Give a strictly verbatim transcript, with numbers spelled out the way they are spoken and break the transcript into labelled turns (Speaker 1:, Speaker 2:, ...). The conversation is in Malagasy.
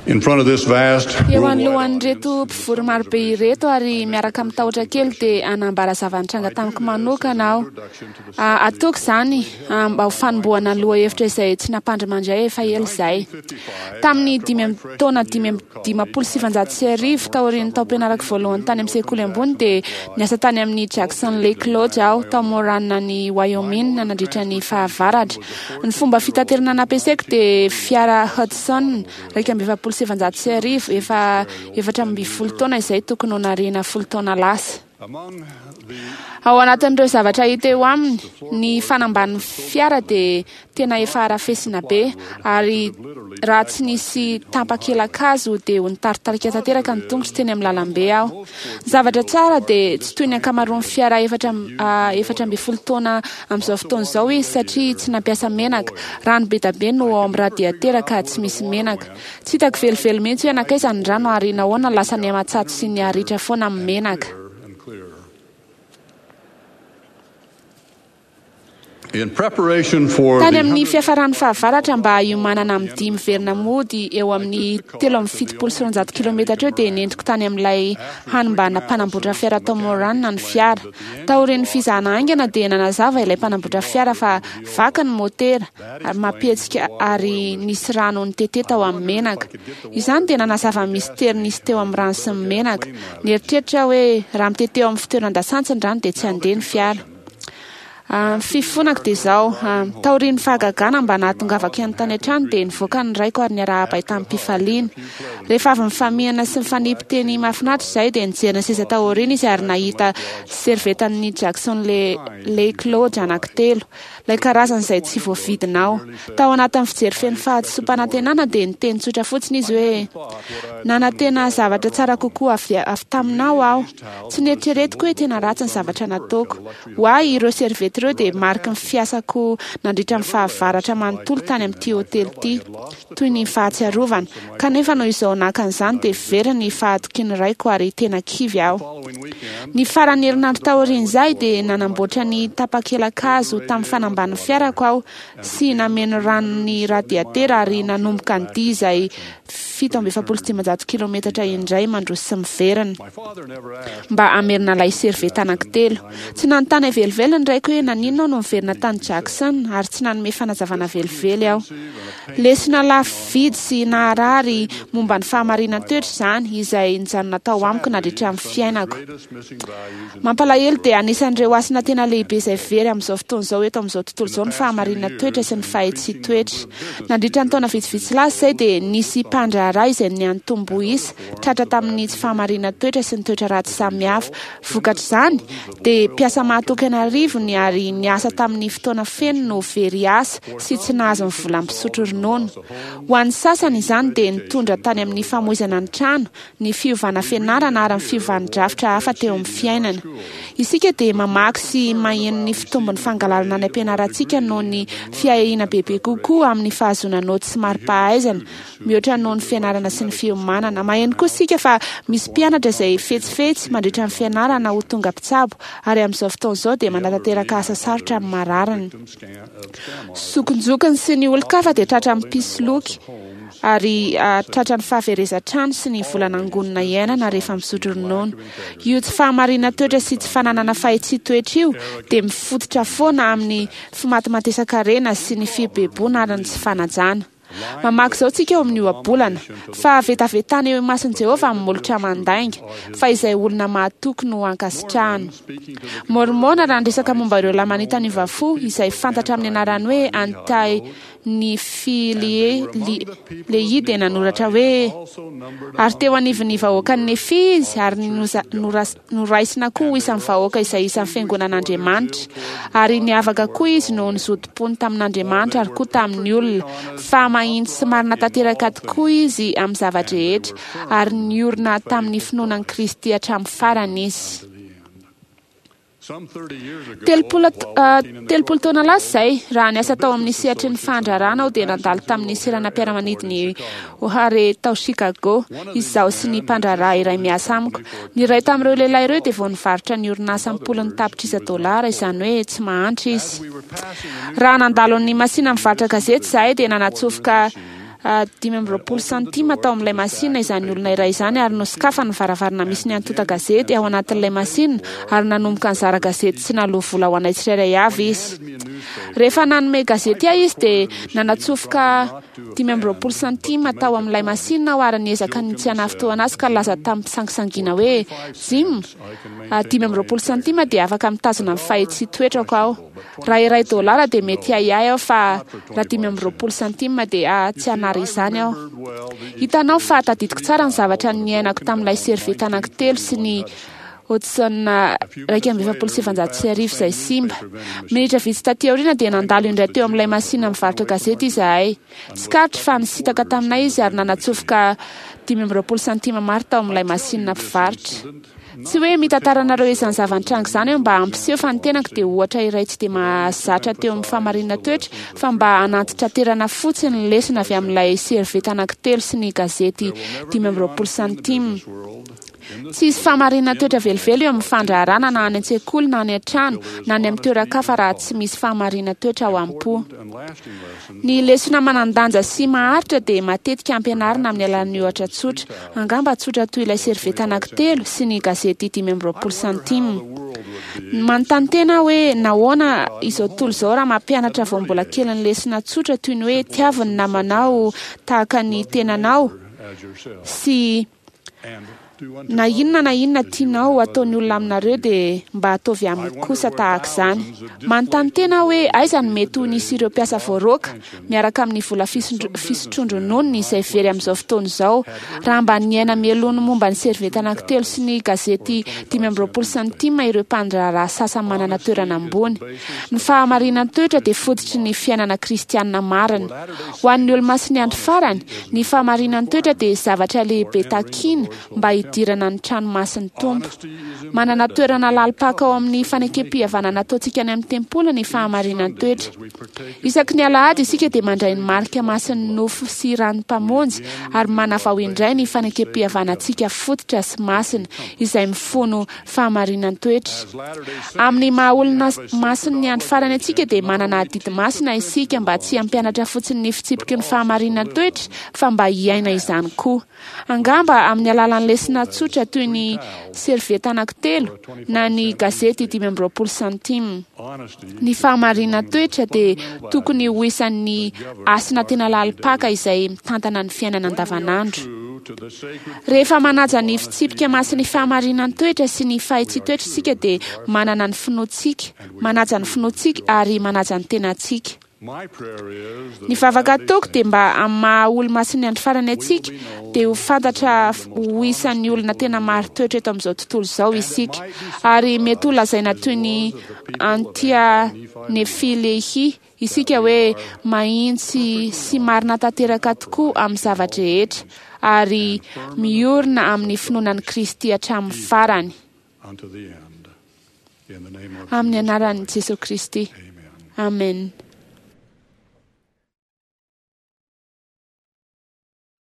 Speaker 1: In front of this vast
Speaker 2: Eo
Speaker 1: worldwide
Speaker 2: anoloan'ireto mpivory marobe ireto ary miaraka amin'ny tahotra kely dia hanambara zava-nitranga tamiko manokana aho. Ah, Ataoko izany ah, mba ho fanombohana lohahevitra izay tsy nampandrimandry efa ela izay. Tamin'ny dimy amby taona dimy amby dimampolo sy sivanjato sy arivo taorian'ny taom-pianarako voalohany tany amin'ny sekoly ambony dia niasa tany amin'ny Jackson Lake Lodge aho tao Moran any Wyoming nandritra ny fahavaratra. Ny fomba fitaterana nampiasaiko dia fiara Hudson iraika amby efapolo sy efajato sy arivo efa efatra amby folo taona izay tokony ho nariana folo taona lasa.
Speaker 1: Among the
Speaker 2: Ao anatin'ireo zavatra hita eo aminy, ny fanambanin'ny fiara dia tena efa arafesina be ary raha tsy nisy tampakelakazo dia ho nitaritarika tanteraka ny tongotro teny amin'ny lalambe aho. Ny zavatra tsara dia tsy toy ny ankamaroan'ny fiara efatra am- ah, efatra amby folo taona amin'izao fotoana izao izy satria tsy nampiasa menaka. Rano be dia be no ao amin'ny radiatera ka tsy misy menaka. Tsy hitako velively mihitsy hoe nankaiza ny rano ary nahoana lasa nihamatsato sy niharitra foana amin'ny menaka.
Speaker 1: and clearer. In preparation for
Speaker 2: Tany
Speaker 1: the
Speaker 2: amin'ny fiafaran'ny fahavaratra mba hiomanana amin'ny dia miverina mody eo amin'ny telo amby fitopolo sy roanjato kilometatra eo dia nentiko tany amin'ilay hanimbana mpanamboatra fiara tao Moran ny fiara. Taorian'ny fizahana haingana dia nanazava ilay mpanamboatra fiara fa vaky ny motera ary mampihetsika ary nisy rano nitete tao amin'ny menaka. Izany dia nanazava ny mistery nisy teo amin'ny rano sy ny menaka. Nieritreritra aho hoe raha mitete eo amin'ny fitoeran-dasantsy ny rano dia tsy handeha ny fiara. Ah, Ny fifonako dia izao, ah, taorian'ny fahagagana mba nahatongavako ihany tany an-trano dia nivoaka ny raiko ary niarahaba ahy tamin'ny-pifaliana. Rehefa avy nifamihana sy nifanipy teny mahafinaritra izahay dia nijery ny seza tao aoriana izy ary nahita servetan'ny Jackson Le- Lake Lodge anankitelo, ilay karazana izay tsy voavidinao. Tao anatin'ny fijery feno fahadisoam-panantenana dia niteny tsotra fotsiny izy hoe nanantena zavatra tsara kokoa avy, avy taminao aho. Tsy nieritreretiko hoe tena ratsy ny zavatra nataoko. Ho ahy ireo servieta ireo dia mariky ny fiasako nandritra ny fahavaratra manontolo tany amin'ity hotely ity, toy ny fahatsiarovana. Kanefa noho izao naka an'izany dia very ny fahatokian'ny raiko ary tena kivy aho.
Speaker 1: following weekend,
Speaker 2: Ny faran'ny herinandro taorian'izay dia nanamboatra ny tapakelakazo tamin'ny fanambanin'ny fiarako aho sy nameno rano ny radiatera ary nanomboka ny dia izay fito amby efapolo sy dimanjato kilometatra indray mandroso sy miverina
Speaker 1: my father never asked
Speaker 2: mba hamerina ilay servieta anankitelo. Tsy nanontany velively ny raiko hoe naninona aho no miverina tany Jackson ary tsy nanome fanazavana velively aho. Lesona lafo vidy sy naharary momba ny fahamarinan-toetra izany izay nijanona tao amiko nandritra ny fiainako.
Speaker 1: greatest missing values in
Speaker 2: Mampalahelo dia anisan'ireo hasina tena lehibe izay very amin'izao fotoana izao eto amin'izao tontolo izao ny fahamarinan-toetra sy ny fahitsian-toetra. Nandritra ny taona vitsivitsy lasa izay dia nisy mpandraharaha izay niantombo isa tratra tamin'ny tsy fahamarinan-toetra sy ny toetra ratsy samihafa. Vokatr'izany dia mpiasa mahatoky an'arivony ary niasa tamin'ny fotoana feno no very asa sy tsy nahazo ny vola misotro ronono. Ho an'ny sasany izany dia nitondra tany amin'ny famoizana ny trano, ny fiovana fianarana ary ny fiovan'ny drafitra hafa teo amin'ny fiainana. Isika dia mamaky sy maheno ny fitombon'ny fangalarana any am-pianarantsika noho ny fiahiana bebe kokoa amin'ny fahazoana naoty sy mari-pahaizana mihoatra noho ny fianarana sy ny fiomanana. Maheno koa isika fa misy mpianatra izay fetsifetsy mandritra ny fianarana ho tonga mpitsabo ary amin'izao fotoana izao dia manatanteraka asa sarotra amin'ny marariny.
Speaker 1: victim scan of scam artists.
Speaker 2: Zokinjokiny sy ny olon-kafa dia tratra amin'ny mpisoloky ary ah, tratra ny fahaverezan-trano sy ny vola nangonina iainana rehefa misotro ronono. Io tsy fahamarinan-toetra sy tsy fananana fahitsian-toetra io dia mifototra foana amin'ny fimatimatesan-karena sy ny fibeboana ary ny tsy fanajana. Mamaky izao tsika eo amin'ny ohabolana fa vetavetana eo imason'i Jehovah amin'ny molotra mandainga fa izay olona mahatoky no ankasitrahana.
Speaker 1: Speaking to the
Speaker 2: Mormona raha niresaka momba ireo lamanita niova fo izay fantatra amin'ny anarany hoe Antai Nifilie li- Lehi dia nanoratra hoe
Speaker 1: also numbered
Speaker 2: ary teo anivon'ny vahoakan'ny Nefi izy ary noza- noras- noraisina koa ho isan'ny vahoaka izay isan'ny fiangonan'Andriamanitra ary niavaka koa izy noho ny zotom-pony tamin'Andriamanitra ary koa tamin'ny olona fa mahitsy sy marina tanteraka tokoa izy amin'ny zava-drehetra ary niorina tamin'ny finoana an'i Kristy hatramin'ny farany izy.
Speaker 1: to the end. Some thirty years ago,
Speaker 2: Telopolo
Speaker 1: while
Speaker 2: ah,
Speaker 1: working in the
Speaker 2: telopolo taona lasa izay raha niasa tao amin'ny sehatry ny fandraharahana aho dia nandalo tamin'ny seranam-piaramanidin'i O'Hare tao Chicago izaho sy ny mpandraharaha iray miasa amiko. Ny iray tamin'ireo lehilahy ireo dia vao nivarotra ny orinasa am-polony tapitrisa dolara izany hoe tsy mahantra izy.
Speaker 1: we were passing the
Speaker 2: Raha nandalo ny masina mivarotra gazety izahay dia nanatsofoka dimy amby roapolo santima tao amin'ilay masinina izany olona iray izany, ary nosokafany ny varavarana misy ny antontan-gazety ao anatin'ilay masinina, ary nanomboka nizara gazety tsy naloa vola ho anay tsirairay avy izy. Rehefa nanome gazety ahy izy dia nanatsofoka dimy amby roapolo santima tao amin'ilay masinina aho, ary niezaka ny tsy hanafintohina azy ka nilaza tamim-pisangisangiana hoe: "Jim, dimy amby roapolo santima dia afaka mitazona ny fahitsi-toetrako aho. Raha iray dolara dia mety ahiahy aho, fa raha dimy amby roapolo santima dia tsy hanary izany aho." Hitanao fa tadidiko tsara ny zavatra niainako tamin'ilay servieta anankitelo sy ny Hudson iraika amby efapolo sy sivanjato sy arivo izay simba. Minitra vitsy taty aoriana dia nandalo indray teo amin'ilay masinina mivarotra gazety izahay. Tsikaritro fa nisintaka taminay izy ary nanatsofoka dimy amby roapolo santima maro tao amin'ilay masinina mpivarotra. Tsy hoe mitantara anareo izany zava-nitranga izany aho mba hampiseho fa ny tenako dia ohatra iray tsy dia mahazatra teo amin'ny fahamarinana toetra, fa mba hanantitraterana fotsiny ny lesona avy amin'ilay servieta anankitelo sy ny gazety dimy amby roapolo santima. Tsy hisy fahamarinana toetra velively eo amin'ny fandraharahana, na any an-tsekoly, na any an-trano, na any amin'ny toeran-kafa, raha tsy misy fahamarinana toetra ao am-po. Ny lesona manan-danja sy maharitra dia matetika ampianarina amin'ny alalan'ny ohatra tsotra, angamba tsotra toy ilay servieta anankitelo sy ny gazety dimy amby roapolo santima. Manontany tena hoe nahoana izao tontolo izao raha mampianatra vao mbola kely ny lesona tsotra toy ny hoe tiavo ny namanao tahaka ny tenanao sy na inona na inona tianao ataon'ny olona aminareo dia mba ataovy aminy kosa tahaka izany. Manontany tena hoe aiza no mety ho nisy ireo mpiasa voaroaka miaraka amin'ny vola fisotroan-drononony izay very amin'izao fotoana izao, raha mba niaina mialoha ny momba ny servieta anankitelo sy ny gazety dimy amby roapolo santima ireo mpandraharaha sasany manana toerana ambony. Ny fahamarinan-toetra dia fototry ny fiainana kristianina marina. Ho an'ny olo-masin'ny andro farany, ny fahamarinan-toetra dia zavatra lehibe takiana mba hidirana ny trano masin'ny Tompo. Manana toerana lalim-paka ao amin'ny fanekem-pihavanana ataontsika any amin'ny tempoly ny fahamarinan-toetra. Isaky ny alahady isika dia mandray ny marika masin'ny nofo sy ran'ny Mpamonjy ary manavao indray ny fanekem-pihavanantsika fototra sy masina izay mifono fahamarinan-toetra. Amin'ny maha olona masin'ny andro farany antsika dia manana adidy masina isika mba tsy hampianatra fotsiny ny fitsipiky ny fahamarinan-toetra fa mba hiaina izany koa. Angamba amin'ny alalan'ny lesona tsotra toy ny servieta anankitelo na ny gazety dimy amby roapolo santima. Ny fahamarinan-toetra dia tokony ho isan'ny hasina tena lalim-paka izay mitantana ny fiainana andavanandro. Rehefa manaja ny fitsipika masin'ny fahamarinan-toetra sy ny fahitsi-toetra isika dia manana ny finoantsika, manaja ny finoantsika ary manaja ny tenantsika. Ny vavaka ataoko dia mba amin'ny maha olo-masin'ny andro farany antsika dia ho fantatra ho isan'ny olona tena marin-toetra eto amin'izao tontolo izao isika, ary mety ho lazaina toy ny Antia Nefilehi isika hoe mahitsy sy marina tanteraka tokoa amin'ny zava-drehetra ary miorina amin'ny finoana an'i Kristy hatramin'ny farany. Amin'ny anaran'i Jesosy Kristy. Amen.